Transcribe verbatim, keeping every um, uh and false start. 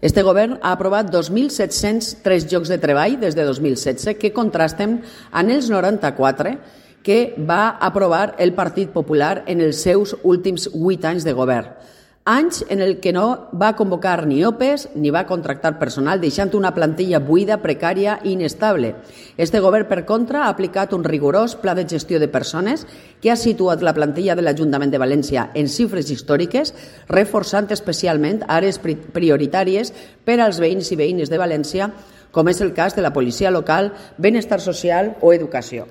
Este govern ha aprovat dos mil set-cents tres llocs de treball des de dos mil setze que contrasten amb els noranta-quatre que va aprovar el Partit Popular en els seus últims vuit anys de govern. Anys en el que no va convocar ni O P Es ni va contractar personal, deixant una plantilla buida, precària i inestable. Este govern, per contra, ha aplicat un rigorós pla de gestió de persones que ha situat la plantilla de l'Ajuntament de València en xifres històriques, reforçant especialment àrees prioritàries per als veïns i veïnes de València, com és el cas de la policia local, benestar social o educació.